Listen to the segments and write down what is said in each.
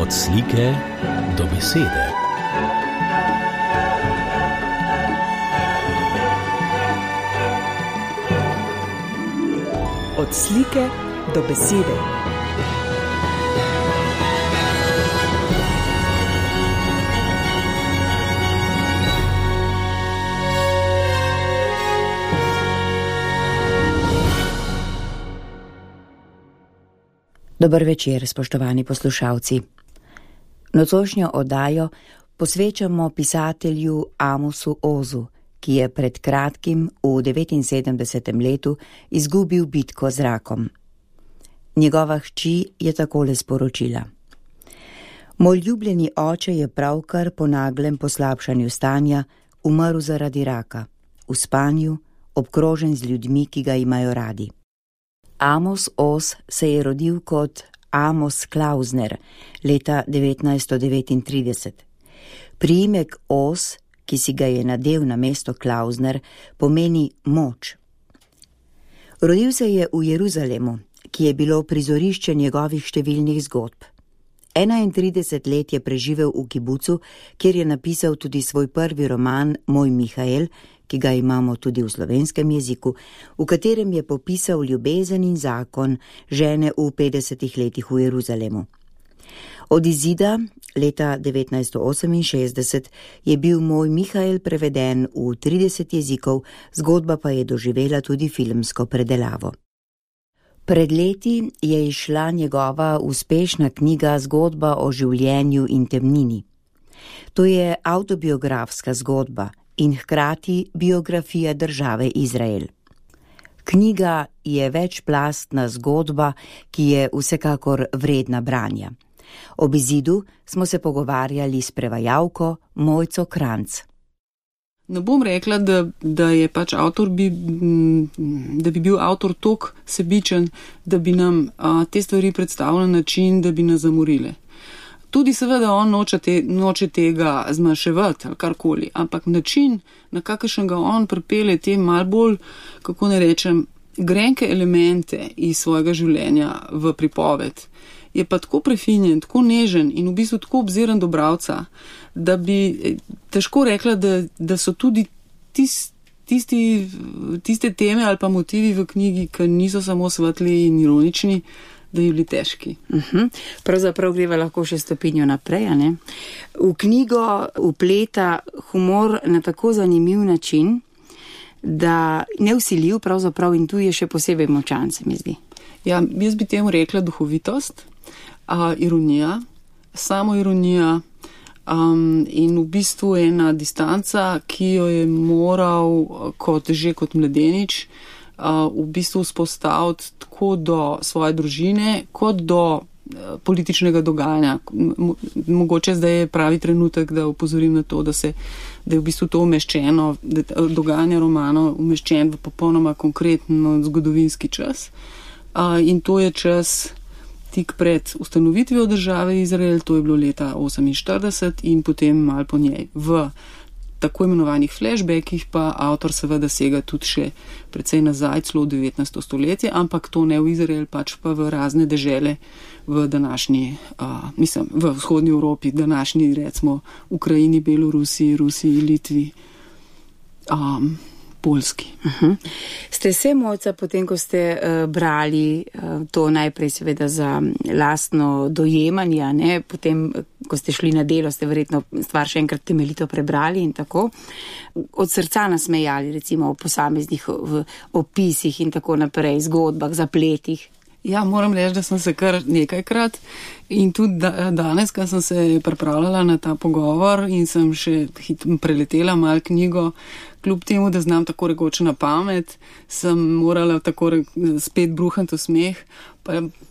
Od slike do besede. Od slike do besede. Dober večer, spoštovani poslušalci. Nocojšnjo oddajo posvečamo pisatelju Amosu Ozu, ki je pred kratkim v 79. letu izgubil bitko z rakom. Njegova hči je takole sporočila: Moj ljubljeni oče je pravkar po naglem poslabšanju stanja umrl zaradi raka, v spanju, obkrožen z ljudmi, ki ga imajo radi. Amos Oz se je rodil kot Amos Klausner leta 1939. Priimek Oz, ki si ga je nadel na mesto Klausner, pomeni moč. Rodil se je v Jeruzalemu, ki je bilo prizorišče njegovih številnih zgodb. 31 let je preživel v kibucu, kjer je napisal tudi svoj prvi roman Moj Mihael, ki ga imamo tudi v slovenskem jeziku, v katerem je popisal ljubezen in zakon žene v 50 letih v Jeruzalemu. Od izida leta 1968 je bil Moj Mihael preveden v 30 jezikov, zgodba pa je doživela tudi filmsko predelavo. Pred leti je izšla njegova uspešna knjiga Zgodba o življenju in temnini. To je avtobiografska zgodba in hkrati biografija države Izrael. Knjiga je večplastna zgodba, ki je vsekakor vredna branja. Ob izidu smo se pogovarjali s prevajalko Mojco Kranjc. Ne bom rekla, da je pač avtor da bi bil avtor toliko sebičen, da bi nam te stvari predstavil na način, da bi nas zamorile. Tudi seveda on noče tega zmanjševati ali karkoli, ampak način, na kakršen ga on pripelje te malo bolj, kako ne rečem, grenke elemente iz svojega življenja v pripoved, je pa tako prefinjen, tako nežen in v bistvu tako obziran do bralca, da bi težko rekla, da so tudi tiste teme ali pa motivi v knjigi, ki niso samo svetli in ironični, da je bili težki. Pravzaprav greva lahko še stopinjo naprej, ne? V knjigo vpleta humor na tako zanimiv način, da nevsiljiv pravzaprav in tu je še posebej močan, se mi zdi. Ja, jaz bi temu rekla duhovitost, ironija, samoironija in v bistvu ena distanca, ki jo je moral kot mladenič v bistvu vzpostaviti tako do svoje družine, kot do političnega dogajanja. Mogoče zdaj je pravi trenutek, da opozorim na to, da je v bistvu to umeščeno, dogajanje romanov umeščen v popolnoma konkretno zgodovinski čas. In to je čas tik pred ustanovitvijo države Izrael, to je bilo leta 1948 in potem malo po njej. V tako imenovanih flashbackih pa avtor seveda sega tudi še precej nazaj, celo v 19. stoletje, ampak to ne v Izrael, pač pa v razne dežele v današnji, v vzhodnji Evropi, današnji recimo Ukrajini, Belorusiji, Rusiji, Litvi, Poljski. Ste se, Mojca, potem, ko ste brali to najprej seveda za lastno dojemanje, ne? Potem, ko ste šli na delo, ste verjetno stvar še enkrat temeljito prebrali in tako, od srca nasmejali, recimo o posameznih opisih in tako naprej, zgodbah, zapletih? Ja, moram reči, da sem se kar nekajkrat in tudi danes, ko sem se pripravljala na ta pogovor in sem še preletela malo knjigo, kljub temu, da znam tako rekoč na pamet, sem morala tako spet bruhati v smeh,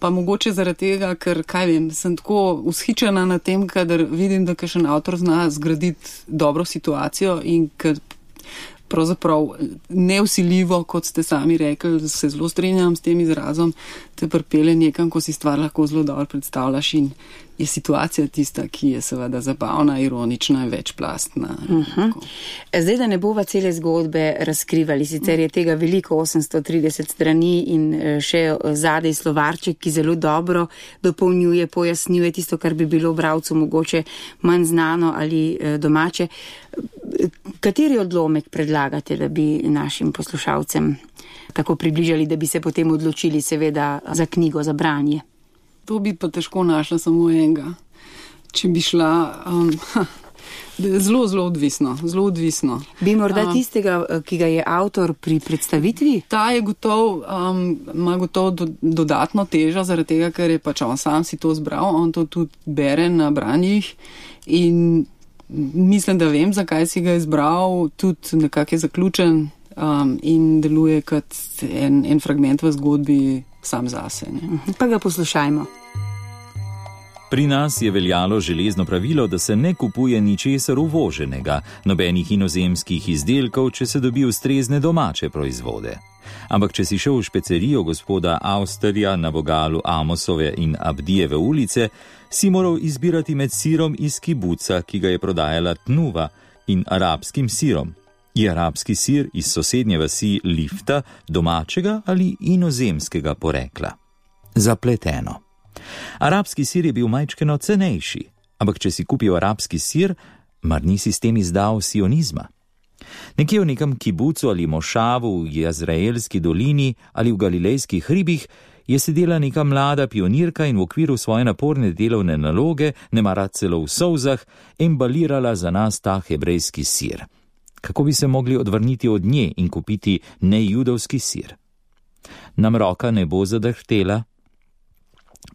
pa mogoče zaradi tega, ker, kaj vem, sem tako vzhičena na tem, kadar vidim, da kakšen avtor zna zgraditi dobro situacijo in ker pravzaprav nevsiljivo, kot ste sami rekli, se zelo strinjam s tem izrazom, te pripelje nekam, ko si stvar lahko zelo dobro predstavljaš in je situacija tista, ki je seveda zabavna, ironična in večplastna. Zdaj, da ne bova cele zgodbe razkrivali, sicer je tega veliko, 830 strani in še zadej slovarček, ki zelo dobro dopolnjuje, pojasnjuje tisto, kar bi bilo bralcu mogoče manj znano ali domače. Kateri odlomek predlagate, da bi našim poslušalcem tako približali, da bi se potem odločili seveda za knjigo, za branje? To bi pa težko našla samo enega. Če bi šla, zelo odvisno. Bi morda tistega, ki ga je avtor pri predstavitvi? Ta je ima gotovo dodatno težo, zaradi tega, ker je pač on sam si to zbral, on to tudi bere na branjih in mislim, da vem, zakaj si ga je izbral, tudi nekako je zaključen in deluje kot en fragment v zgodbi sam zase. Pa ga poslušajmo. Pri nas je veljalo železno pravilo, da se ne kupuje ničesar uvoženega, nobenih inozemskih izdelkov, če se dobi ustrezne domače proizvode. Ampak če si šel v špecerijo gospoda Austerja na vogalu Amosove in Abdijeve ulice, si moral izbirati med sirom iz kibuca, ki ga je prodajala Tnuva, in arabskim sirom. Je arabski sir iz sosednje vasi Lifta domačega ali inozemskega porekla? Zapleteno. Arabski sir je bil majčkeno cenejši, ampak če si kupil arabski sir, mar nisi s tem izdal sionizma? Nekje v nekem kibucu ali mošavu v Jezraelski dolini ali v Galilejskih hribih je sedela neka mlada pionirka in v okviru svoje naporne delovne naloge, nemara celo v solzah, embalirala za nas ta hebrejski sir. Kako bi se mogli odvrniti od nje in kupiti nejudovski sir? Nam roka ne bo zadrhtela?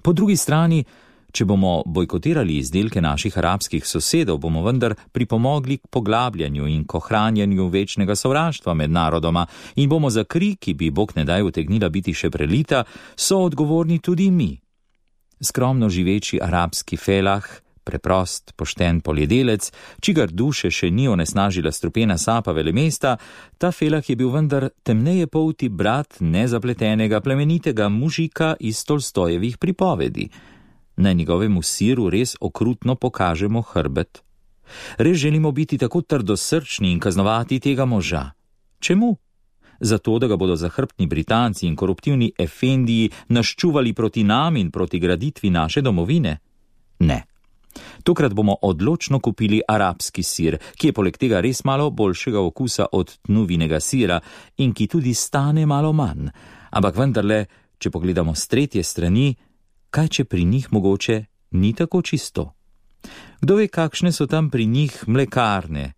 Po drugi strani, če bomo bojkotirali izdelke naših arabskih sosedov, bomo vendar pripomogli k poglabljanju in k ohranjanju večnega sovraštva med narodoma in bomo za kri, ki bi Bog ne daj utegnila biti še prelita, so odgovorni tudi mi. Skromno živeči arabski felah, preprost, pošten poljedelec, čigar duše še ni onesnažila strupena sapa velemesta, ta felah je bil vendar temneje polti brat nezapletenega plemenitega mužika iz Tolstojevih pripovedi. Na njegovemu siru res okrutno pokažemo hrbet. Res želimo biti tako trdosrčni in kaznovati tega moža. Čemu? Zato, da ga bodo zahrbtni Britanci in koruptivni efendiji naščuvali proti nam in proti graditvi naše domovine? Ne. Tokrat bomo odločno kupili arabski sir, ki je poleg tega res malo boljšega okusa od Tnuvinega sira in ki tudi stane malo manj. Ampak vendarle, če pogledamo s tretje strani, kaj če pri njih mogoče ni tako čisto? Kdo ve, kakšne so tam pri njih mlekarne?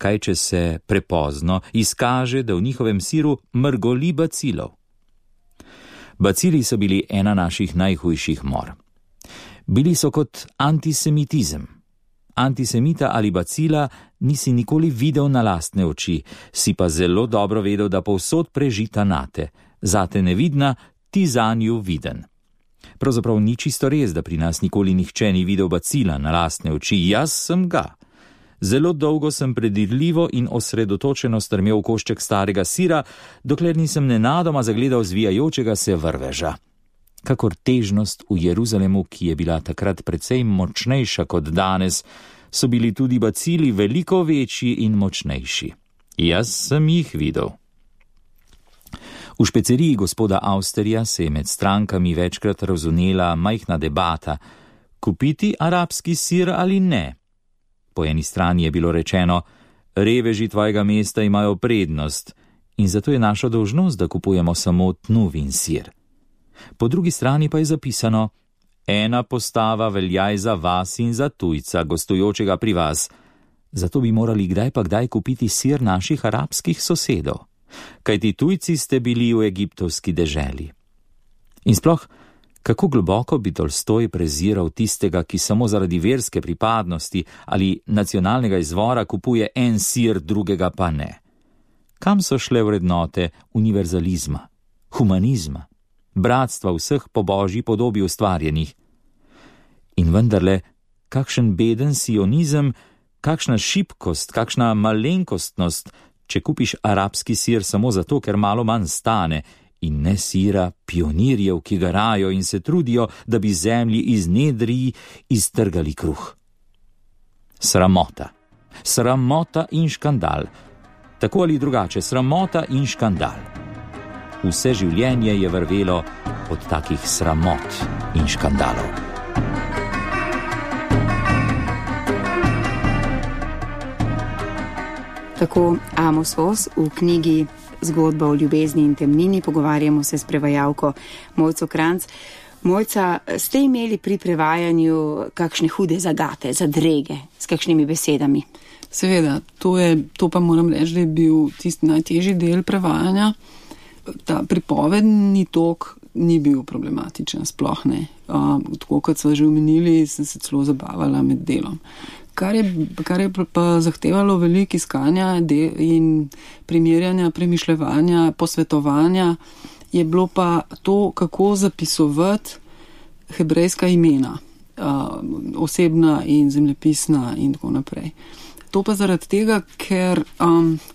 Kaj če se prepozno izkaže, da v njihovem siru mrgoli bacilov? Bacili so bili ena naših najhujših mor. Bili so kot antisemitizem. Antisemita ali bacila nisi nikoli videl na lastne oči, si pa zelo dobro vedel, da povsod prežita nate, zate nevidna, ti zanju viden. Pravzaprav ni čisto res, da pri nas nikoli nihče ni videl bacila na lastne oči, jaz sem ga. Zelo dolgo sem predirljivo in osredotočeno strmel v košček starega sira, dokler nisem nenadoma zagledal zvijajočega se vrveža. Kakor težnost v Jeruzalemu, ki je bila takrat precej močnejša kot danes, so bili tudi bacili veliko večji in močnejši. Jaz sem jih videl. V špeceriji gospoda Austerja se je med strankami večkrat razvnela majhna debata, kupiti arabski sir ali ne. Po eni strani je bilo rečeno, reveži tvojega mesta imajo prednost in zato je naša dolžnost, da kupujemo samo Tnuvin sir. Po drugi strani pa je zapisano, ena postava veljaj za vas in za tujca, gostujočega pri vas. Zato bi morali kdaj pa kdaj kupiti sir naših arabskih sosedov. Kajti tujci ste bili v egiptovski deželi. In sploh, kako globoko bi Tolstoj preziral tistega, ki samo zaradi verske pripadnosti ali nacionalnega izvora kupuje en sir, drugega pa ne. Kam so šle vrednote univerzalizma, humanizma, bratstva vseh po božji podobi ustvarjenih? In vendarle, kakšen beden sionizem, kakšna šibkost, kakšna malenkostnost, če kupiš arabski sir samo zato, ker malo manj stane in ne sira pionirjev, ki garajo in se trudijo, da bi zemlji iz nedrij iztrgali kruh. Sramota. Sramota in škandal. Tako ali drugače, sramota in škandal. Vse življenje je vrvelo od takih sramot in škandalov. Tako Amos Oz v knjigi Zgodba o ljubezni in temnini. Pogovarjamo se s prevajalko Mojco Kranjc. Mojca, ste imeli pri prevajanju kakšne hude zagate, zadrege, s kakšnimi besedami? Seveda, to pa moram reči, da je bil tisti najtežji del prevajanja. Ta pripovedni tok ni bil problematičen, sploh ne. Tako kot smo že omenili, sem se celo zabavala med delom. Kar je pa zahtevalo veliko iskanja in primerjanja, premišljevanja, posvetovanja, je bilo pa to, kako zapisovati hebrejska imena, osebna in zemljepisna in tako naprej. To pa zaradi tega, ker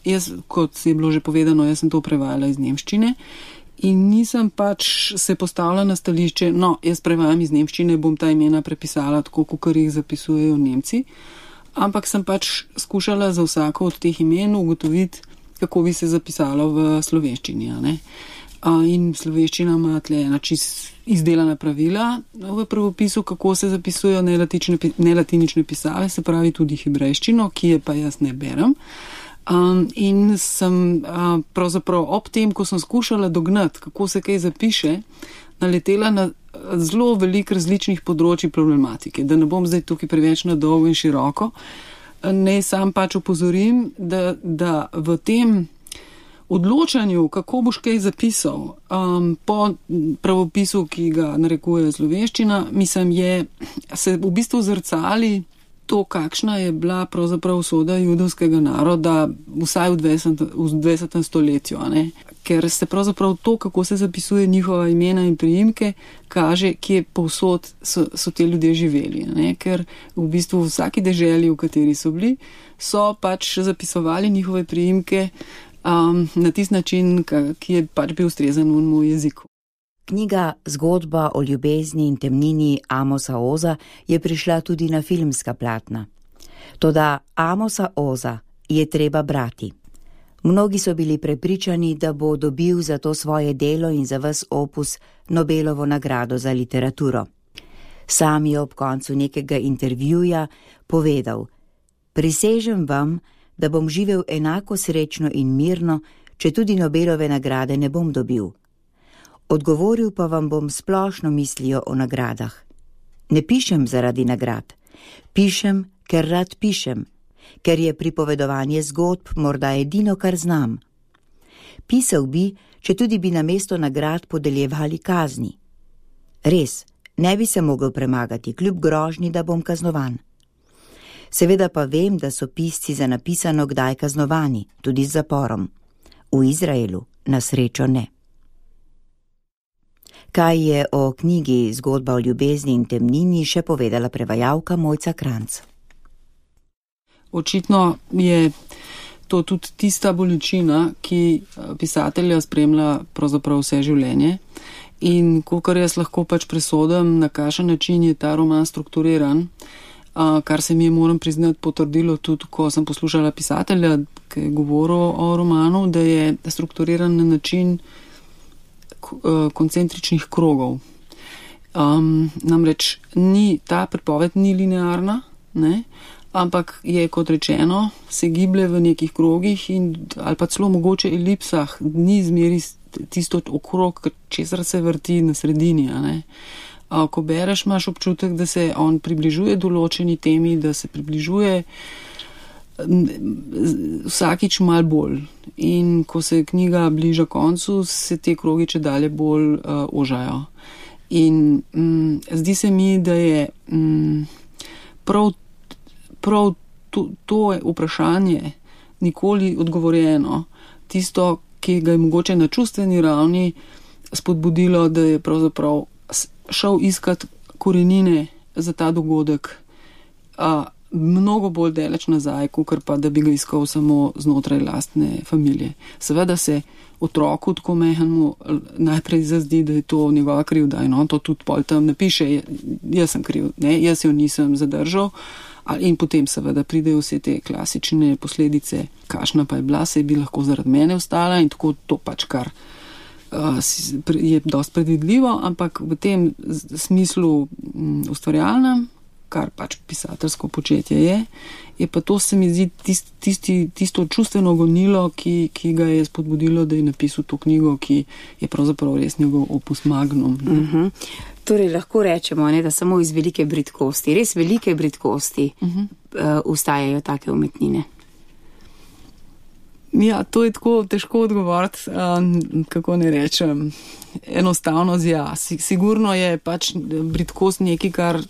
jaz, kot je bilo že povedano, jaz sem to prevajala iz nemščine in nisem pač se postavila na stališče, jaz prevajam iz nemščine, bom ta imena prepisala tako, kot jih zapisujejo Nemci, ampak sem pač skušala za vsako od teh imen ugotoviti, kako bi se zapisalo v slovenščini. In slovenščina ima tle ena čist izdelana pravila v pravopisu, kako se zapisujejo nelatinične pisave, se pravi tudi hebrejščino, ki je pa jaz ne berem. In sem pravzaprav ob tem, ko sem skušala dognati, kako se kaj zapiše, naletela na zelo veliko različnih področji problematike. Da ne bom zdaj tukaj preveč na dolgo in široko, ne sam pač opozorim, da v tem odločanju, kako boš kaj zapisal, po pravopisu, ki ga narekuje slovenščina, mislim, se v bistvu zrcali to, kakšna je bila pravzaprav usoda judovskega naroda vsaj v 20. stoletju, ker se pravzaprav to, kako se zapisuje njihova imena in priimke, kaže, kje povsod so te ljudje živeli, ker v bistvu v vsaki deželi, v kateri so bili, so pač zapisovali njihove priimke na tisti način, ki je pač bil ustrezen v moj jeziku. Knjiga Zgodba o ljubezni in temnini Amosa Oza je prišla tudi na filmska platna. Toda Amosa Oza je treba brati. Mnogi so bili prepričani, da bo dobil za to svoje delo in za ves opus Nobelovo nagrado za literaturo. Sam je ob koncu nekega intervjuja povedal: "Prisežem vam, da bom živel enako srečno in mirno, če tudi Nobelove nagrade ne bom dobil. Odgovoril pa vam bom splošno mislijo o nagradah. Ne pišem zaradi nagrad. Pišem, ker rad pišem, ker je pripovedovanje zgodb morda edino, kar znam. Pisal bi, če tudi bi namesto nagrad podeljevali kazni. Res, ne bi se mogel premagati, kljub grožnji, da bom kaznovan. Seveda pa vem, da so pisci za napisano kdaj kaznovani, tudi z zaporom. V Izraelu na srečo ne." Kaj je o knjigi Zgodba o ljubezni in temnini še povedala prevajalka Mojca Kranjc? Očitno je to tudi tista bolečina, ki pisatelja spremlja pravzaprav vse življenje. In kolikor jaz lahko pač presodim, na kakšen način je ta roman strukturiran, kar se mi je, moram priznati, potrdilo tudi, ko sem poslušala pisatelja, ki je govoril o romanu, da je strukturiran na način koncentričnih krogov. Namreč ta pripoved ni linearna, ampak je, kot rečeno, se giblje v nekih krogih ali pa celo mogoče elipsah, ni zmeri tisto okrog, česar se vrti na sredini. Ko bereš, imaš občutek, da se on približuje določeni temi, da se približuje vsakič malo bolj. In ko se knjiga bliža koncu, se te krogi čedalje bolj ožajo. In zdi se mi, da je prav to vprašanje nikoli odgovorjeno, tisto, ki ga je mogoče na čustveni ravni spodbudilo, da je pravzaprav šel iskat korenine za ta dogodek. mnogo bolj daleč nazaj, kakor pa da bi ga iskal samo znotraj lastne familije. Seveda se otroku tako mehanemu najprej zazdi, da je to njegova krivda in on to tudi pol tam napiše, jaz sem kriv, ne, jaz jo nisem zadržal. In potem seveda pridejo vse te klasične posledice, kakšna pa je bila, se bi lahko zaradi mene ostala in tako to pač kar je dosti predvidljivo, ampak v tem smislu ustvarjalnem, kar pač pisateljsko početje je pa to, se mi zdi, tisto čustveno gonilo, ki ga je spodbudilo, da je napisal to knjigo, ki je pravzaprav res njegov opus magnum. Torej lahko rečemo, ne, da samo iz velike bridkosti, res velike bridkosti ustajajo take umetnine. Ja, to je tako težko odgovoriti, kako ne rečem, enostavno sigurno je pač bridkost nekaj, kar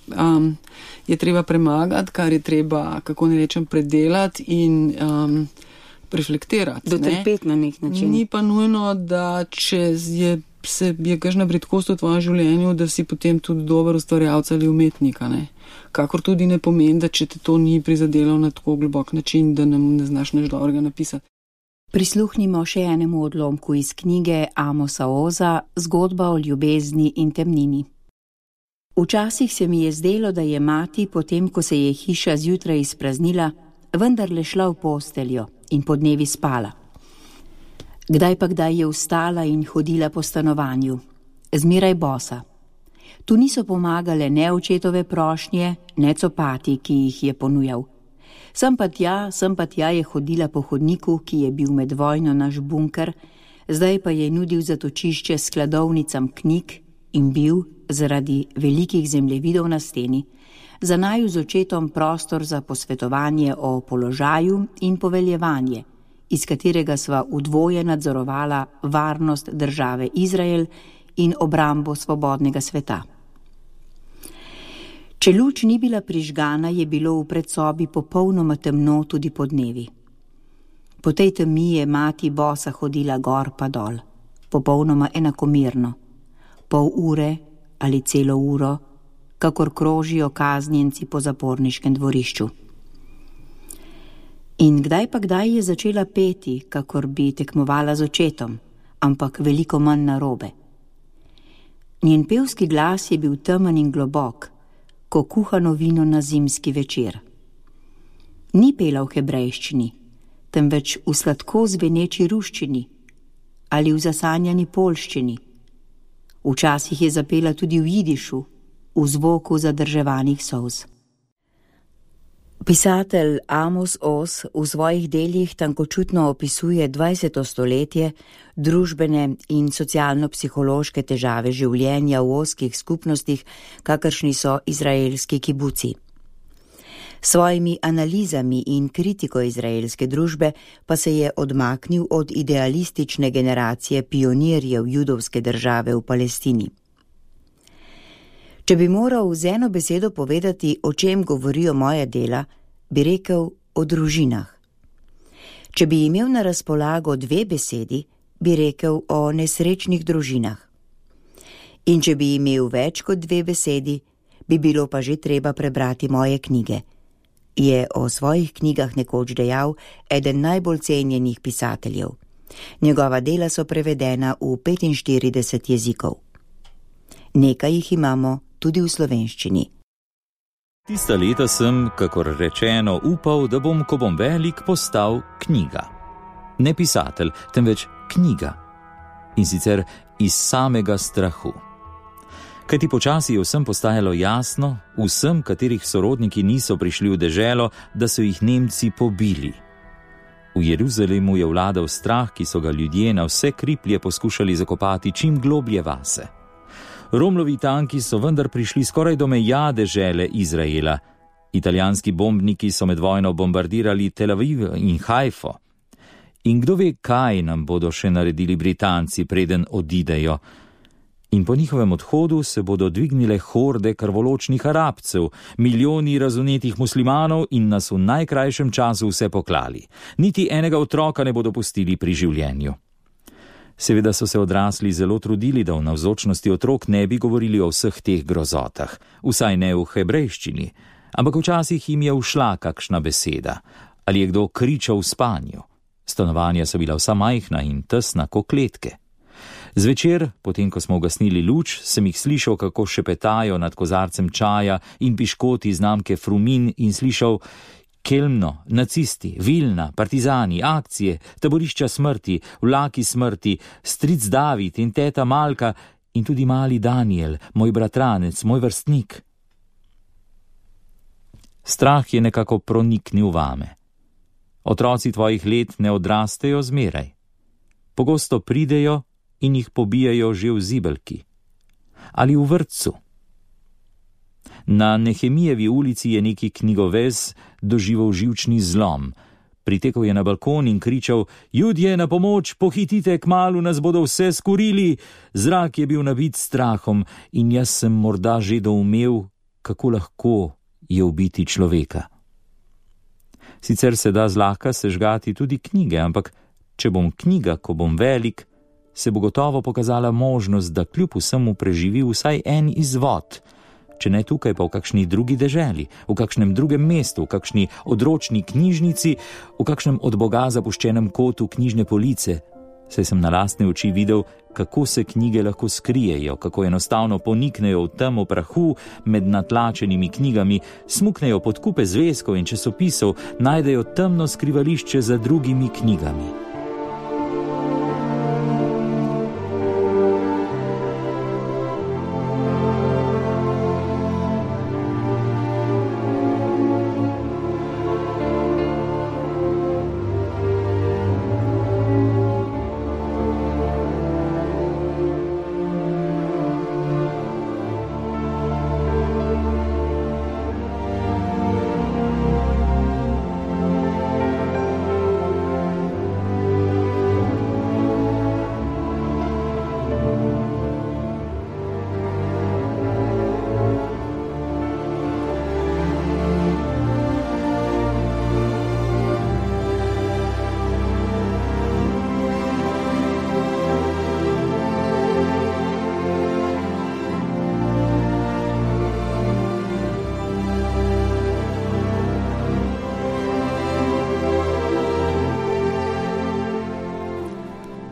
je treba premagati, kar je treba, kako ne rečem, predelati in reflektirati. Dotrpeti na nek način. Ni pa nujno, da če je kakšna bridkost v tvojem življenju, da si potem tudi dober ustvarjalec ali umetnika, ne. Kakor tudi ne pomeni, da če te to ni prizadelo na tako globok način, da nam ne znaš nič dobrega napisati. Prisluhnimo še enemu odlomku iz knjige Amosa Oza, Zgodba o ljubezni in temnini. Včasih se mi je zdelo, da je mati, potem ko se je hiša zjutraj izpraznila, vendarle šla v posteljo in podnevi spala. Kdaj pa kdaj je vstala in hodila po stanovanju, zmeraj bosa. Tu niso pomagale ne očetove prošnje, ne copati, ki jih je ponujal. Sem pa tja je hodila po hodniku, ki je bil med vojno naš bunker, zdaj pa je nudil zatočišče skladovnicam knjig in bil, zaradi velikih zemljevidov na steni, za naju z očetom prostor za posvetovanje o položaju in poveljevanje, iz katerega sva udvoje nadzorovala varnost države Izrael in obrambo svobodnega sveta. Če luč ni bila prižgana, je bilo v predsobi popolnoma temno tudi podnevi. Po tej temi je mati bosa hodila gor pa dol, popolnoma enakomerno, pol ure ali celo uro, kakor krožijo kaznjenci po zaporniškem dvorišču. In kdaj pa kdaj je začela peti, kakor bi tekmovala z očetom, ampak veliko manj narobe. Njen pevski glas je bil temen in globok, ko kuhano vino na zimski večer. Ni pela v hebrejščini, temveč v sladko zveneči ruščini ali v zasanjani poljščini. Včasih je zapela tudi v jidišu, v zvoku zadrževanih solz. Pisatelj Amos Oz v svojih delih tankočutno opisuje 20. stoletje, družbene in socialno-psihološke težave življenja v ozkih skupnostih, kakršni so izraelski kibuci. Svojimi analizami in kritiko izraelske družbe pa se je odmaknil od idealistične generacije pionirjev judovske države v Palestini. Če bi moral z eno besedo povedati, o čem govorijo moja dela, bi rekel o družinah. Če bi imel na razpolago 2 besedi, bi rekel o nesrečnih družinah. In če bi imel več kot 2 besedi, bi bilo pa že treba prebrati moje knjige, je o svojih knjigah nekoč dejal eden najbolj cenjenih pisateljev. Njegova dela so prevedena v 45 jezikov. Nekaj jih imamo tudi v slovenščini. Tista leta sem, kakor rečeno, upal, da bom, ko bom velik, postal knjiga. Ne pisatelj, temveč knjiga. In sicer iz samega strahu. Kajti počasi je vsem postajalo jasno, vsem, katerih sorodniki niso prišli v deželo, da so jih Nemci pobili. V Jeruzalemu je vladal strah, ki so ga ljudje na vse kriplje poskušali zakopati čim globlje vase. Romlovi tanki so vendar prišli skoraj do meja dežele Izraela. Italijanski bombniki so med vojno bombardirali Tel Aviv in Haifo. In kdo ve, kaj nam bodo še naredili Britanci, preden odidejo. In po njihovem odhodu se bodo dvignile horde krvoločnih Arabcev, milijoni razunetih muslimanov in nas v najkrajšem času vse poklali. Niti enega otroka ne bodo pustili pri življenju. Seveda so se odrasli zelo trudili, da v navzočnosti otrok ne bi govorili o vseh teh grozotah, vsaj ne v hebrejščini, Ampak včasih jim je ušla kakšna beseda, ali je kdo kričal v spanju. Stanovanja so bila vsa majhna in tesna kot kletke. Zvečer, potem ko smo ugasnili luč, sem jih slišal, kako šepetajo nad kozarcem čaja in piškoti znamke Frumin in slišal: Kelmno, nacisti, Vilna, partizani, akcije, taborišča smrti, vlaki smrti, stric David in teta Malka in tudi mali Daniel, moj bratranec, moj vrstnik. Strah je nekako proniknil vame. Otroci tvojih let ne odrastejo zmeraj. Pogosto pridejo in jih pobijajo že v zibelki ali v vrtcu. Na Nehemijevi ulici je neki knjigovez doživel živčni zlom. Pritekel je na balkon in kričal: Judje, na pomoč, pohitite, kmalu nas bodo vse skurili. Zrak je bil nabit strahom in jaz sem morda že doumel, kako lahko je ubiti človeka. Sicer se da zlahka sežgati tudi knjige, ampak če bom knjiga, ko bom velik, se bo gotovo pokazala možnost, da kljub vsemu preživi vsaj en izvod, če ne tukaj, pa v kakšni drugi deželi, v kakšnem drugem mestu, v kakšni odročni knjižnici, v kakšnem od Boga zapuščenem kotu knjižne police, saj sem na lastne oči videl, kako se knjige lahko skrijejo, kako enostavno poniknejo v temo prahu med natlačenimi knjigami, smuknejo pod kupe zvezkov in časopisov, najdejo temno skrivališče za drugimi knjigami.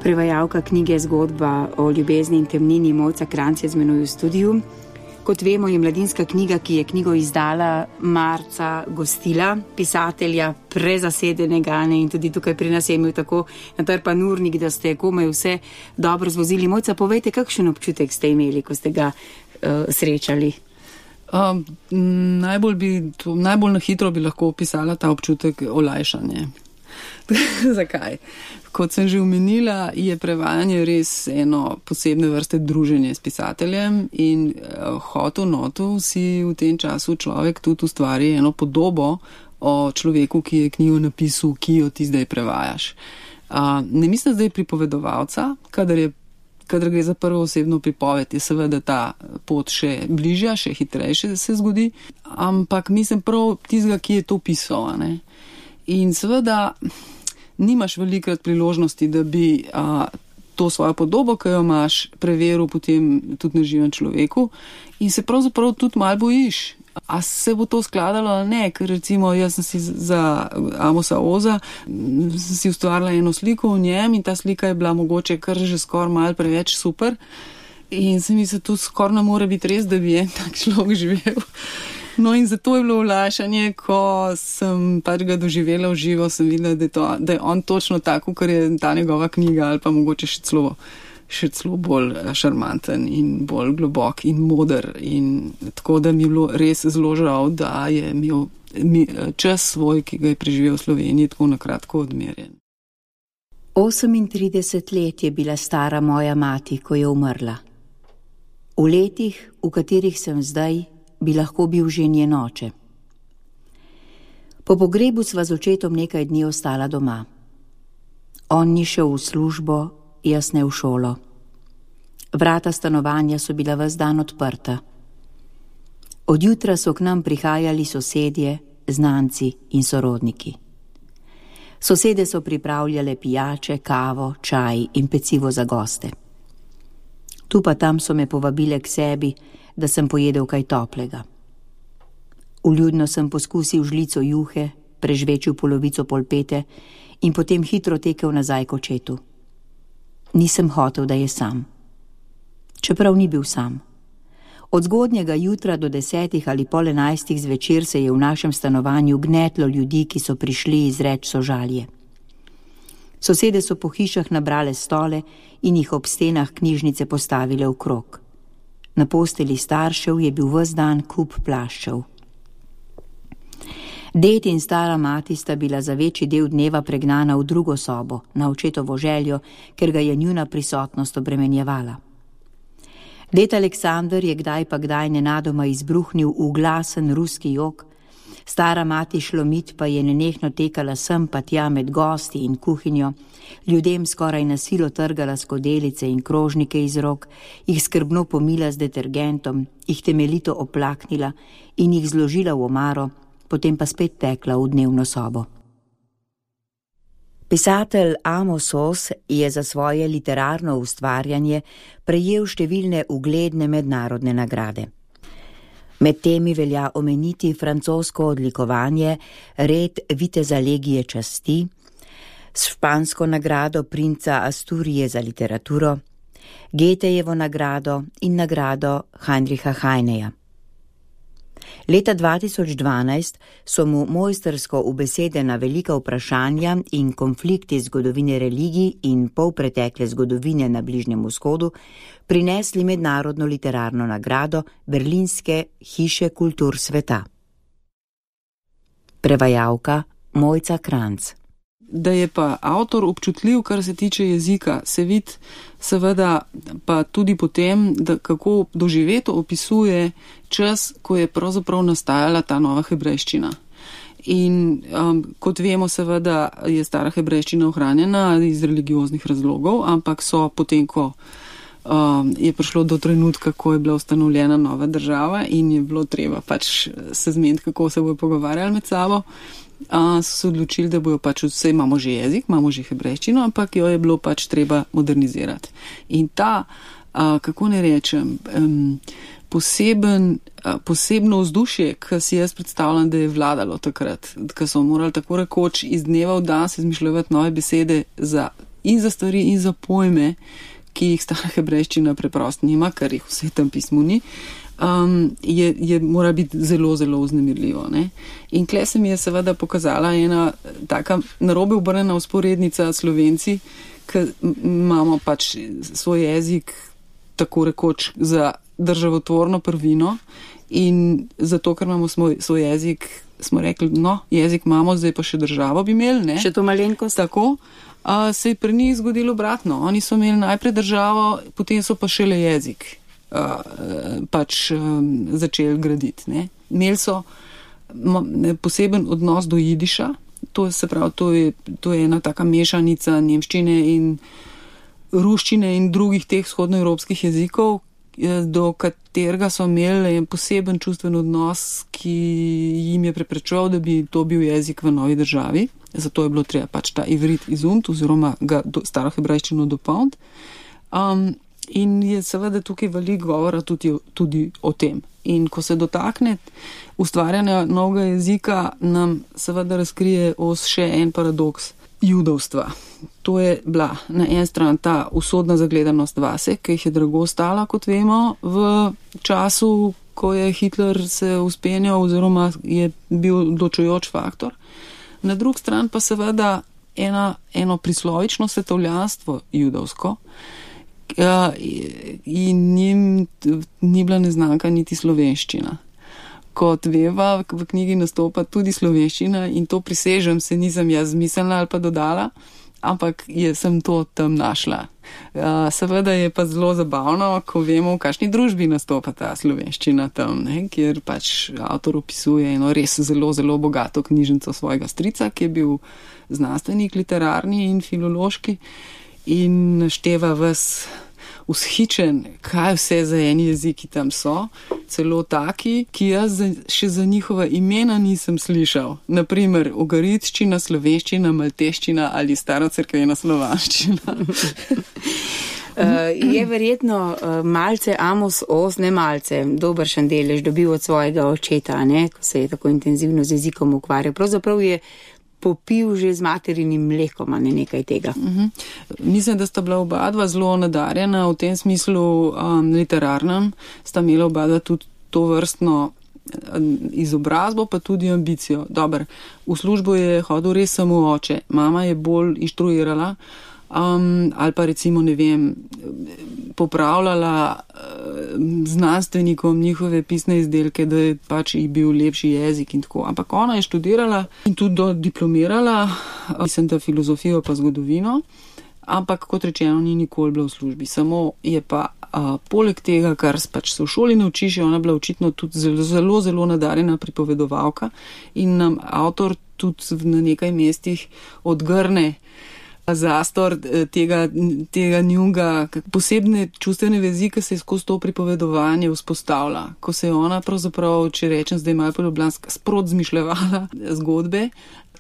Prevajalka knjige Zgodba o ljubezni in temnini Mojca Kranjc je z menoj v studiu. Kot vemo, je mladinska knjiga, ki je knjigo izdala marca, gostila pisatelja prezasedenega in tudi tukaj pri nas je imel tako natrpan urnik, da ste komaj vse dobro zvozili. Mojca, povejte, kakšen občutek ste imeli, ko ste ga srečali? Najbolj na hitro bi lahko opisala ta občutek olajšanje. Zakaj? Kot sem že omenila, je prevajanje res eno posebne vrste druženje s pisateljem in hotu si v tem času človek tudi ustvari eno podobo o človeku, ki je knjigo napisal, ki jo ti zdaj prevajaš. Ne mislim zdaj pripovedovalca, kadar gre za prvo osebno pripoved, je seveda ta pot še bližja, še hitrejše se zgodi, ampak mislim prav tistega, ki je to pisal. In seveda nimaš velikrat priložnosti, da bi to svojo podobo, ki jo imaš, preveril potem tudi na živem človeku in se pravzaprav tudi malo bojiš. A se bo to skladalo ali ne, ker recimo jaz sem si za Amosa Oza si ustvarila eno sliko v njem in ta slika je bila mogoče kar že skoraj malo preveč super in se mi se to skoraj ne more biti res, da bi en tak človek živel. No in zato je bilo olajšanje, ko sem pač ga doživela v živo, sem videla, da je on točno tako, kar je ta njegova knjiga ali pa mogoče še celo bolj šarmanten in bolj globok in moder. In tako da mi je bilo res zelo žal, da je imel čas svoj, ki ga je preživel v Sloveniji, tako na kratko odmerjen. 38 let je bila stara moja mati, ko je umrla. V letih, v katerih sem zdaj, bi lahko bil že njen oče. Po pogrebu sva z očetom nekaj dni ostala doma. On ni šel v službo, jaz ne v šolo. Vrata stanovanja so bila ves dan odprta. Od jutra so k nam prihajali sosedje, znanci in sorodniki. Sosede so pripravljale pijače, kavo, čaj in pecivo za goste. Tu pa tam so me povabile k sebi, da sem pojedel kaj toplega. Vljudno sem poskusil žlico juhe, prežvečil polovico polpete in potem hitro tekel nazaj k očetu. Nisem hotel, da je sam. Čeprav ni bil sam. Od zgodnjega jutra do 10 ali pol 11 zvečer se je v našem stanovanju gnetlo ljudi, ki so prišli izreč sožalje. Sosede so po hišah nabrale stole in jih ob stenah knjižnice postavile v krog. Na posteli staršev je bil ves dan kup plaščev. Ded in stara mati sta bila za večji del dneva pregnana v drugo sobo, na očetovo željo, ker ga je njuna prisotnost obremenjevala. Ded Aleksandar je kdaj pa kdaj nenadoma izbruhnil v glasen ruski jok, stara mati Šlomit pa je nenehno tekala sem pa tja med gosti in kuhinjo, ljudem skoraj na silo trgala skodelice in krožnike iz rok, jih skrbno pomila z detergentom, jih temeljito oplaknila in jih zložila v omaro, potem pa spet tekla v dnevno sobo. Pisatelj Amos Oz je za svoje literarno ustvarjanje prejel številne ugledne mednarodne nagrade. Med temi velja omeniti francosko odlikovanje red viteza legije časti, špansko nagrado princa Asturije za literaturo, Goethejevo nagrado in nagrado Heinricha Heineja. Leta 2012 so mu mojstrsko ubesedena velika vprašanja in konflikti zgodovine religij in polpretekle zgodovine na Bližnjem vzhodu prinesli mednarodno literarno nagrado Berlinske hiše kultur sveta. Prevajalka Mojca Kranjc. Da je pa avtor občutljiv, kar se tiče jezika, se vidi seveda pa tudi potem, da kako doživeto opisuje čas, ko je pravzaprav nastajala ta nova hebrejščina. In kot vemo, seveda je stara hebrejščina ohranjena iz religioznih razlogov, ampak so potem, ko je prišlo do trenutka, ko je bila ustanovljena nova država in je bilo treba pač se zmeniti, kako se bojo pogovarjali med sabo, so se odločili, da bojo pač vse, imamo že jezik, imamo že hebrejščino, ampak jo je bilo pač treba modernizirati. In ta, kako ne rečem, posebno vzdušje, ki si jaz predstavljam, da je vladalo takrat, ki so morali tako rekoč iz dneva v dan se izmišljati nove besede in za stvari in za pojme, ki jih stara hebrejščina preprosto nima, ker jih v Svetem pismu ni, mora biti zelo, zelo vznemirljivo. Ne? In kle se mi je seveda pokazala ena taka narobe obrnjena vzporednica Slovenci, ki imamo pač svoj jezik tako rekoč za državotvorno prvino in zato, ker imamo svoj jezik, smo rekli, no, jezik imamo, zdaj pa še državo bi imeli, ne? Še to malenkost. Tako. Se je pri njih zgodilo obratno. Oni so imeli najprej državo, potem so pa šele jezik začeli graditi. Ne? Imeli so poseben odnos do jidiša, to je ena taka mešanica nemščine in ruščine in drugih teh vzhodnoevropskih jezikov, do katerega so imeli poseben čustven odnos, ki jim je preprečeval, da bi to bil jezik v novi državi. Zato je bilo treba pač ta ivrit izumt oziroma ga staro hebrejščino dopolniti. In je seveda tukaj veliko govora tudi o tem. In ko se dotakne ustvarjanja novega jezika, nam seveda razkrije še en paradoks judovstva. To je bila na en stran ta usodna zagledanost vase, ki jih je drago stala, kot vemo, v času, ko je Hitler se uspenjal oziroma je bil odločujoč faktor. Na drug stran pa seveda eno prislovično svetovljanstvo judovsko, in njim ni bila neznanka niti slovenščina. Kot veva, v knjigi nastopa tudi slovenščina in to prisežem, se nisem jaz zmislila ali pa dodala, ampak sem to tam našla. Seveda je pa zelo zabavno, ko vemo, v kakšni družbi nastopa ta slovenščina tam, ne, kjer pač avtor opisuje eno res zelo, zelo bogato knjižnico svojega strica, ki je bil znanstvenik, literarni in filološki in našteva ves vzhičen, kaj vse za eni jeziki tam so, celo taki, ki jaz še za njihova imena nisem slišal. Naprimer, ugaritščina, slovenščina, malteščina ali starocerkvena slovanščina. Je verjetno malce Amos Oz, ne malce, dobršen delež dobil od svojega očeta, ne, ko se je tako intenzivno z jezikom ukvarjal. Pravzaprav je popil že z materinim mlekom, a ne nekaj tega. Mislim, da sta bila oba dva zelo nadarjena v tem smislu literarnem, sta imela oba dva tudi to vrstno izobrazbo, pa tudi ambicijo. Dobar, v službo je hodil res samo oče, mama je bolj inštruirala, ali pa recimo, ne vem, popravljala znanstvenikom njihove pisne izdelke, da je pač ji bil lepši jezik in tako. Ampak ona je študirala in tudi diplomirala, mislim, da filozofijo pa zgodovino, ampak kot rečeno, ni nikoli bila v službi. Samo je pa poleg tega, kar pač se v šoli naučiš, je ona bila očitno tudi zelo, zelo nadarjena pripovedovalka in nam avtor tudi na nekaj mestih odgrne zastor tega njunga, posebne čustvene vezi, ki se je skozi to pripovedovanje vzpostavlja. Ko se je ona pravzaprav, če rečem zdaj malo poljubljanska, sprot zmišljevala zgodbe,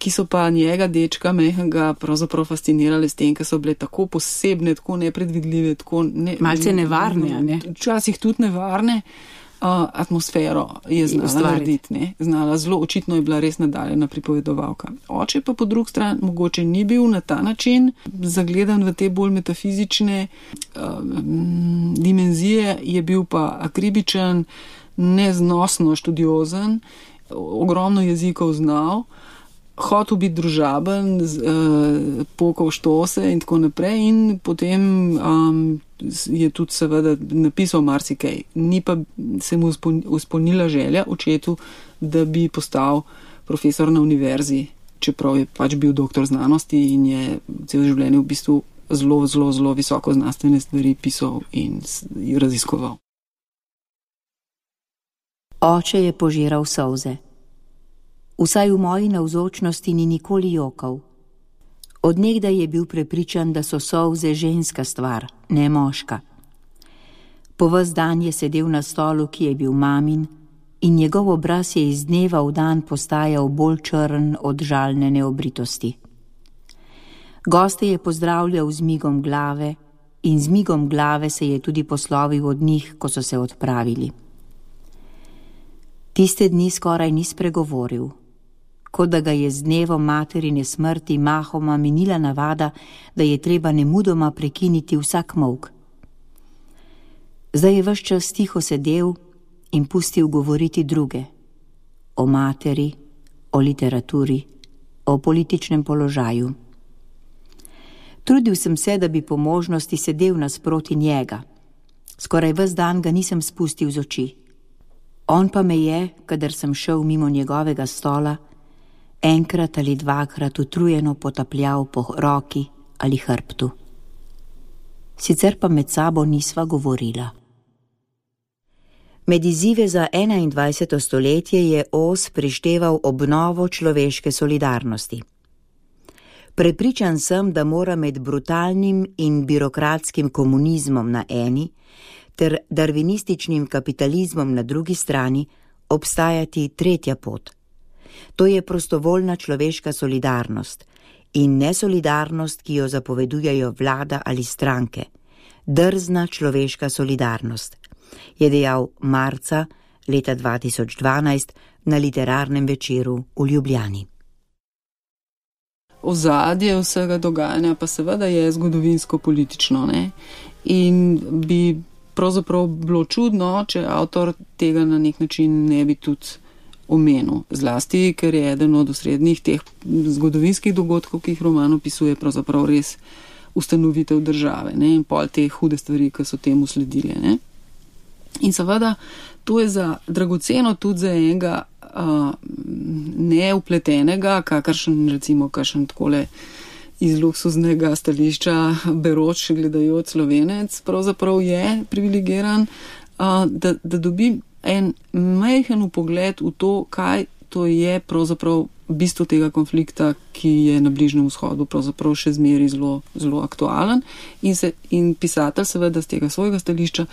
ki so pa njega, dečka, mehanga, pravzaprav fascinirale s tem, ker so bile tako posebne, tako nepredvidljive, tako malce nevarne, ne? Včasih tudi nevarne. Atmosfero je znala narediti, ne? Znala zelo, očitno je bila res nadaljena pripovedovalka. Oče pa po drugi strani mogoče ni bil na ta način zagledan v te bolj metafizične dimenzije, je bil pa akribičen, neznosno študiozen, ogromno jezikov znal, hotel biti družaben, pokal štose in tako naprej in potem je tudi seveda napisal marsikaj. Ni pa se mu izpolnila želja očetu, da bi postal profesor na univerzi, čeprav je pač bil doktor znanosti in je celo življenje v bistvu zelo, zelo, zelo visoko znanstvene stvari pisal in raziskoval. Oče je požiral solze. Vsaj v moji navzočnosti ni nikoli jokal. Od nekdaj je bil prepričan, da so solze ženska stvar, ne moška. Po ves dan je sedel na stolu, ki je bil mamin, in njegov obraz je iz dneva v dan postajal bolj črn od žalne neobritosti. Goste je pozdravljal z migom glave in z migom glave se je tudi poslovil od njih, ko so se odpravili. Tiste dni skoraj ni spregovoril, kot da ga je z dnevom materine smrti mahoma minila navada, da je treba nemudoma prekiniti vsak molk. Zdaj je ves čas tiho sedel in pustil govoriti druge, o materi, o literaturi, o političnem položaju. Trudil sem se, da bi po možnosti sedel nasproti njega. Skoraj ves dan ga nisem spustil z oči. On pa me je, kadar sem šel mimo njegovega stola, enkrat ali dvakrat utrujeno potapljal po roki ali hrbtu. Sicer pa med sabo nisva govorila. Med izzive za 21. stoletje je Oz prišteval obnovo človeške solidarnosti. Prepričan sem, da mora med brutalnim in birokratskim komunizmom na eni ter darvinističnim kapitalizmom na drugi strani obstajati tretja pot. To je prostovoljna človeška solidarnost in nesolidarnost, ki jo zapovedujejo vlada ali stranke. Drzna človeška solidarnost, je dejal marca leta 2012 na literarnem večeru v Ljubljani. Ozadje vsega dogajanja pa seveda je zgodovinsko-politično, ne? In bi pravzaprav bilo čudno, če avtor tega na nek način ne bi tudi omenil. Zlasti, ker je eden od osrednjih teh zgodovinskih dogodkov, ki jih roman opisuje, pravzaprav res ustanovitev države, ne? In pol te hude stvari, ki so temu sledile, ne? In seveda, to je za dragoceno tudi za enega neupletenega, kakšen takole iz luksuznega stališča beroč gledajoč Slovenec, pravzaprav je privilegiran, da dobi en majhen vpogled v to, kaj to je pravzaprav bistvo tega konflikta, ki je na Bližnjem vzhodu pravzaprav še zmeraj zelo, zelo aktualen in pisatelj seveda z tega svojega stališča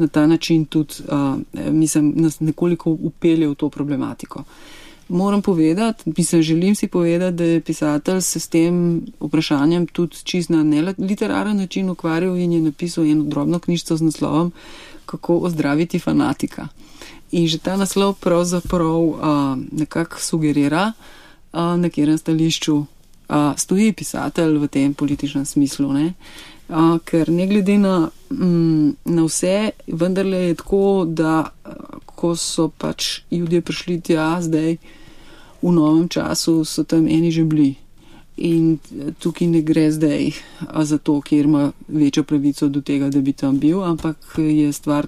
na ta način tudi, mislim, nas nekoliko upelje v to problematiko. moram povedati, želim si povedati, da je pisatelj se s tem vprašanjem tudi čist na neliteraren način ukvarjal in je napisal eno drobno knjižico z naslovom Kako ozdraviti fanatika. In že ta naslov pravzaprav nekako sugerira, na katerem stališču stoji pisatelj v tem političnem smislu, ne? Ker ne glede na vse, vendarle je tako, da ko so pač Judje prišli tja zdaj v novem času, so tam eni že bili. In tukaj ne gre zdaj za to, kjer ima večjo pravico do tega, da bi tam bil, ampak je stvar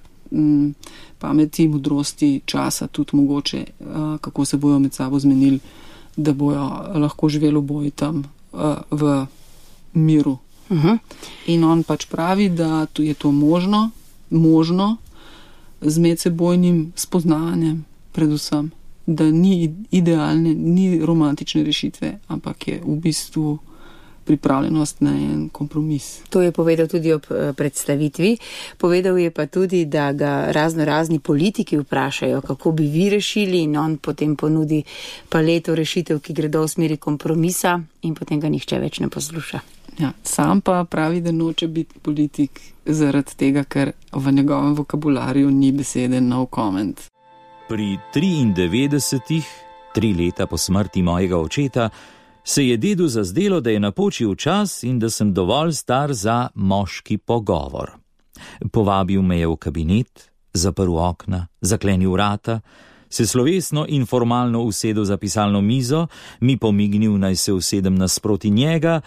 pameti, modrosti, časa tudi mogoče, kako se bojo med sabo zmenili, da bojo lahko živeli oboji tam v miru. In on pač pravi, da je to možno z medsebojnim spoznavanjem predvsem, da ni idealne, ni romantične rešitve, ampak je v bistvu pripravljenost na en kompromis. To je povedal tudi ob predstavitvi. Povedal je pa tudi, da ga razni politiki vprašajo, kako bi vi rešili, in on potem ponudi paleto rešitev, ki gredo v smeri kompromisa, in potem ga nihče več ne posluša. Ja, sam pa pravi, da noče biti politik zaradi tega, ker v njegovem vokabularju ni besede no comment. Pri 93, 3 leta po smrti mojega očeta, se je dedu zazdelo, da je napočil čas in da sem dovolj star za moški pogovor. Povabil me je v kabinet, zaprl okna, zaklenil vrata, se slovesno in formalno usedel za pisalno mizo, mi pomignil, naj se usedem nasproti njega,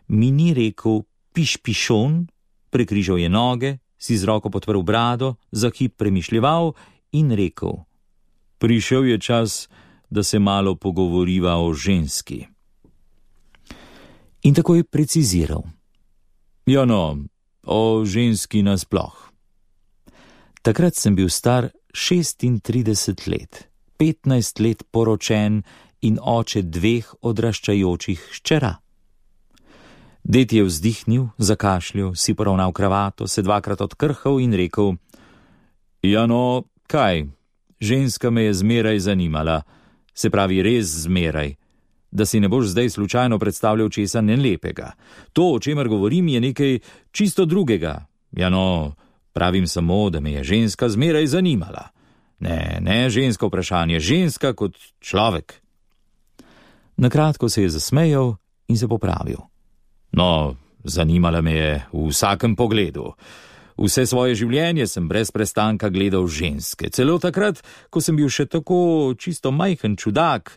mi ni rekel pišpišon, prekrižal je noge, si z roko podprl brado, za hip premišljeval in rekel: prišel je čas, da se malo pogovoriva o ženski. In tako je preciziral: ja no, o ženski nasploh. Takrat sem bil star 36 let, 15 let poročen in oče 2 odraščajočih hčera. Ded je vzdihnil, zakašljal, si poravnal kravato, se 2krat odkrhal in rekel: ja no, kaj, ženska me je zmeraj zanimala, se pravi res zmeraj, da si ne boš zdaj slučajno predstavljal česa nelepega. To, o čemer govorim, je nekaj čisto drugega. Ja no, pravim samo, da me je ženska zmeraj zanimala. Ne žensko vprašanje, ženska kot človek. Nakratko se je zasmejal in se popravil. No, zanimala me je v vsakem pogledu. Vse svoje življenje sem brez prestanka gledal ženske. Celo takrat, ko sem bil še tako čisto majhen čudak,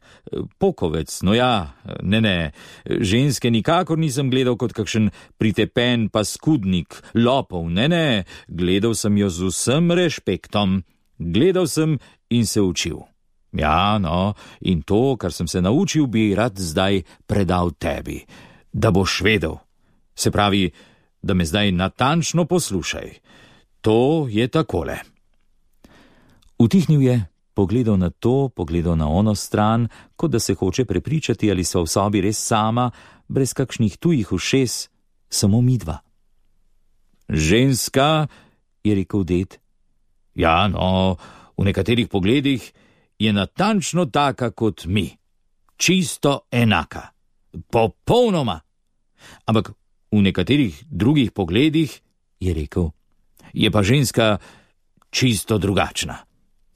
pokovec, no ja, ne, ženske nikakor nisem gledal kot kakšen pritepen paskudnik, lopov, ne, gledal sem jo z vsem rešpektom. Gledal sem in se učil. Ja, no, in to, kar sem se naučil, bi rad zdaj predal tebi, da boš vedel. Se pravi, da me zdaj natančno poslušaj. To je takole. Utihnil je, pogledal na to, pogledal na ono stran, kot da se hoče prepričati, ali sva v sobi res sama, brez kakšnih tujih ušes, samo midva. Ženska, je rekel ded. Ja, no, v nekaterih pogledih je natančno taka kot mi. Čisto enaka. Popolnoma. Ampak v nekaterih drugih pogledih, je rekel, je pa ženska čisto drugačna.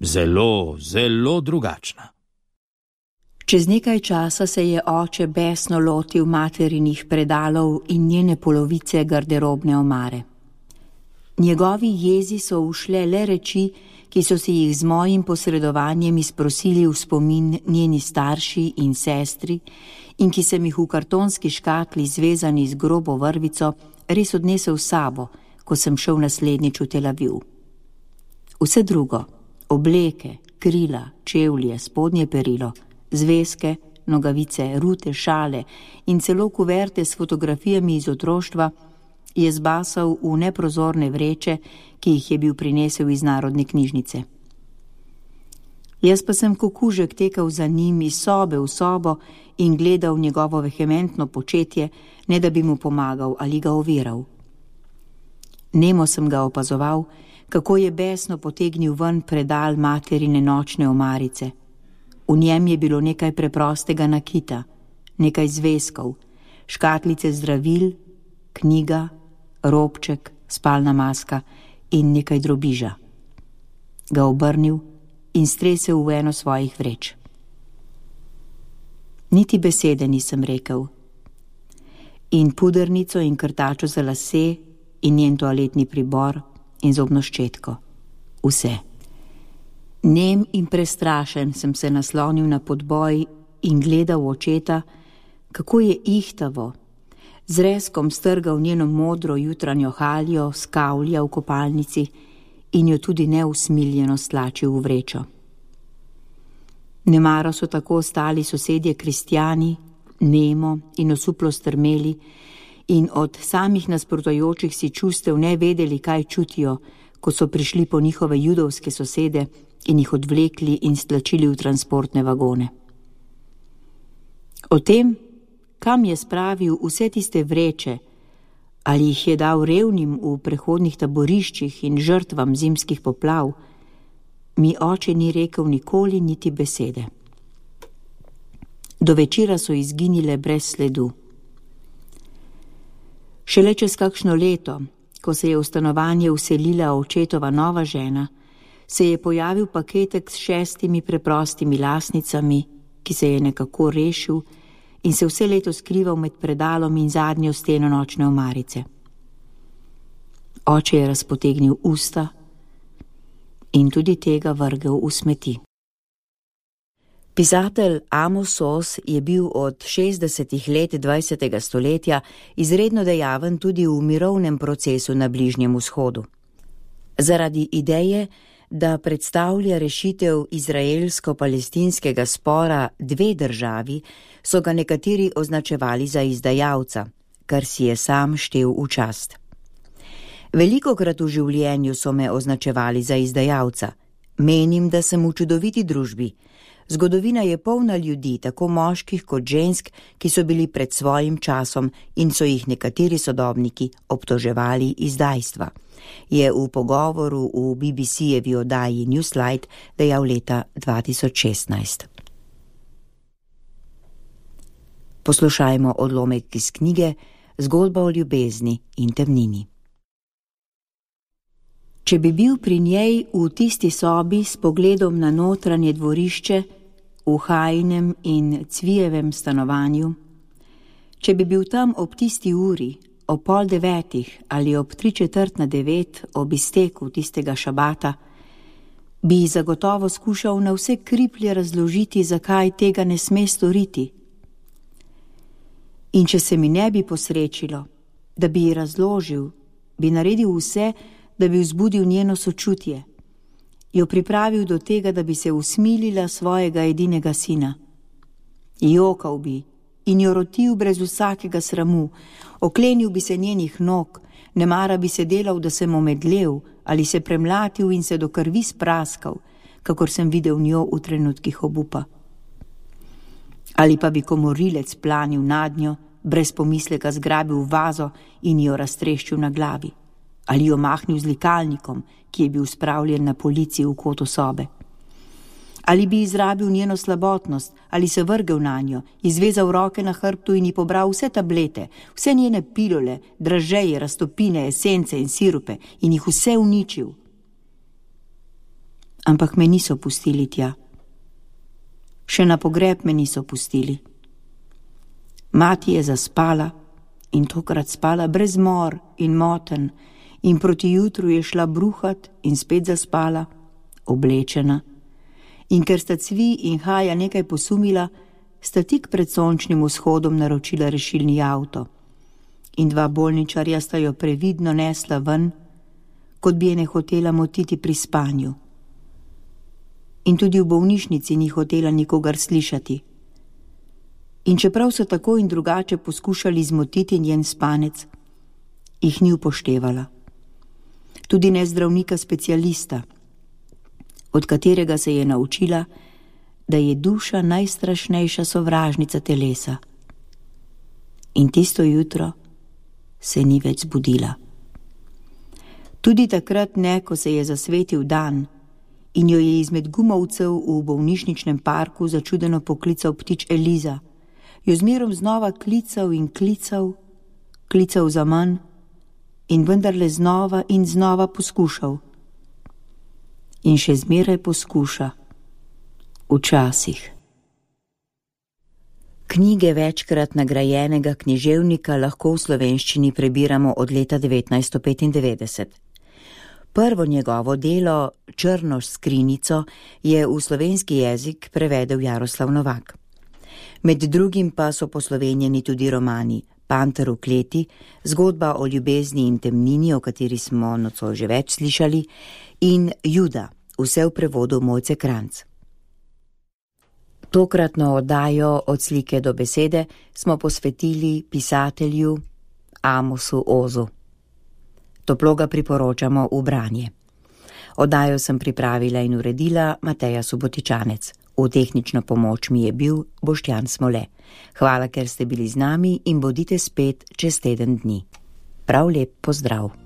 Zelo, zelo drugačna. Čez nekaj časa se je oče besno lotil materinih predalov in njene polovice garderobne omare. Njegovi jezi so ušle le reči, ki so si jih z mojim posredovanjem izprosili v spomin njeni starši in sestri in ki sem jih v kartonski škatli zvezani z grobo vrvico res odnesel s sabo, ko sem šel naslednjič v Tel Aviv. Vse drugo, obleke, krila, čevlje, spodnje perilo, zvezke, nogavice, rute, šale in celo kuverte s fotografijami iz otroštva je zbasal v neprozorne vreče, ki jih je bil prinesel iz Narodne knjižnice. Jaz pa sem kot kužek tekal za njim iz sobe v sobo in gledal njegovo vehementno početje, ne da bi mu pomagal ali ga oviral. Nemo sem ga opazoval, kako je besno potegnil ven predal materine nočne omarice. V njem je bilo nekaj preprostega nakita, nekaj zvezkov, škatlice zdravil, knjiga, robček, spalna maska in nekaj drobiža. Ga obrnil in stresel v eno svojih vreč. Niti besede nisem rekel. In pudernico in krtačo za lase in njen toaletni pribor in zobno ščetko. Vse. Nem in prestrašen sem se naslonil na podboj in gledal v očeta, kako je ihtavo, z rezkom strgal njeno modro jutranjo haljo, skavlja v kopalnici in jo tudi neusmiljeno stlačil v vrečo. Nemaro so tako ostali sosedje kristjani, nemo in osuplo strmeli in od samih nasprotujočih si čustev ne vedeli, kaj čutijo, ko so prišli po njihove judovske sosede in jih odvlekli in stlačili v transportne vagone. O tem, kam je spravil vse tiste vreče, ali jih je dal revnim v prehodnih taboriščih in žrtvam zimskih poplav, mi oče ni rekel nikoli niti besede. Do večera so izginile brez sledu. Šele čez kakšno leto, ko se je v stanovanje vselila očetova nova žena, se je pojavil paketek s 6 preprostimi lasnicami, ki se je nekako rešil in se vse leto skrival med predalom in zadnjo steno nočne omarice. Oče je razpotegnil usta in tudi tega vrgel v smeti. Pisatelj Amos Oz je bil od 60. let 20. stoletja izredno dejaven tudi v mirovnem procesu na Bližnjem vzhodu. Zaradi ideje, da predstavlja rešitev izraelsko-palestinskega spora 2 državi, so ga nekateri označevali za izdajalca, kar si je sam štel v čast. Velikokrat v življenju so me označevali za izdajalca. Menim, da sem v čudoviti družbi. Zgodovina je polna ljudi, tako moških kot žensk, ki so bili pred svojim časom in so jih nekateri sodobniki obtoževali izdajstva, je v pogovoru v BBC-jevi oddaji Newslight dejal leta 2016. Poslušajmo odlomek iz knjige Zgodba o ljubezni in temnini. Če bi bil pri njej v tisti sobi s pogledom na notranje dvorišče, v Hajinem in Cvijevem stanovanju, če bi bil tam ob tisti uri, ob 8:30 ali ob 8:45 ob izteku tistega šabata, bi zagotovo skušal na vse kriplje razložiti, zakaj tega ne sme storiti. In če se mi ne bi posrečilo, da bi ji razložil, bi naredil vse, da bi vzbudil njeno sočutje, jo pripravil do tega, da bi se usmilila svojega edinega sina. Jokal bi in jo rotil brez vsakega sramu, oklenil bi se njenih nog, nemara bi se delal, da sem omedlel ali se premlatil in se do krvi spraskal, kakor sem videl njo v trenutkih obupa. Ali pa bi komorilec planil nad njo, brez pomisleka zgrabil vazo in jo raztreščil na glavi. Ali jo mahnil z likalnikom, ki je bil spravljen na polici v kotu sobe. Ali bi izrabil njeno slabotnost, ali se vrgel na njo, izvezal roke na hrbtu in ji pobral vse tablete, vse njene pilule, dražeje, raztopine, esence in sirupe in jih vse uničil. Ampak me niso pustili tja. Še na pogreb me niso pustili. Mati je zaspala in tokrat spala brez mor in moten in proti jutru je šla bruhat in spet zaspala, oblečena. In ker sta Cvi in Haja nekaj posumila, sta tik pred sončnim vzhodom naročila rešilni avto. In 2 bolničarja sta jo previdno nesla ven, kot bi je ne hotela motiti pri spanju. In tudi v bolnišnici ni hotela nikogar slišati. In čeprav so tako in drugače poskušali zmotiti njen spanec, jih ni upoštevala. Tudi ne zdravnika specialista, od katerega se je naučila, da je duša najstrašnejša sovražnica telesa. In tisto jutro se ni več zbudila. Tudi takrat ne, ko se je zasvetil dan in jo je izmed gumovcev v bolnišničnem parku začudeno poklical ptič Eliza. Jo zmerom znova klical in klical, klical za manj in vendarle znova in znova poskušal. In še zmeraj poskuša. Včasih. Knjige večkrat nagrajenega književnika lahko v slovenščini prebiramo od leta 1995. Prvo njegovo delo, Črno skrinjico, je v slovenski jezik prevedel Jaroslav Novak. Med drugim pa so poslovenjeni tudi romani Panter v kleti, Zgodba o ljubezni in temnini, o kateri smo nocoj že več slišali, in Juda, vse v prevodu Mojce Kranjc. Tokratno oddajo Od slike do besede smo posvetili pisatelju Amosu Ozu. Toplo ga priporočamo v branje. Oddajo sem pripravila in uredila Mateja Subotičanec. V tehnično pomoč mi je bil Boštjan Smole. Hvala, ker ste bili z nami in bodite spet čez teden dni. Prav lep pozdrav.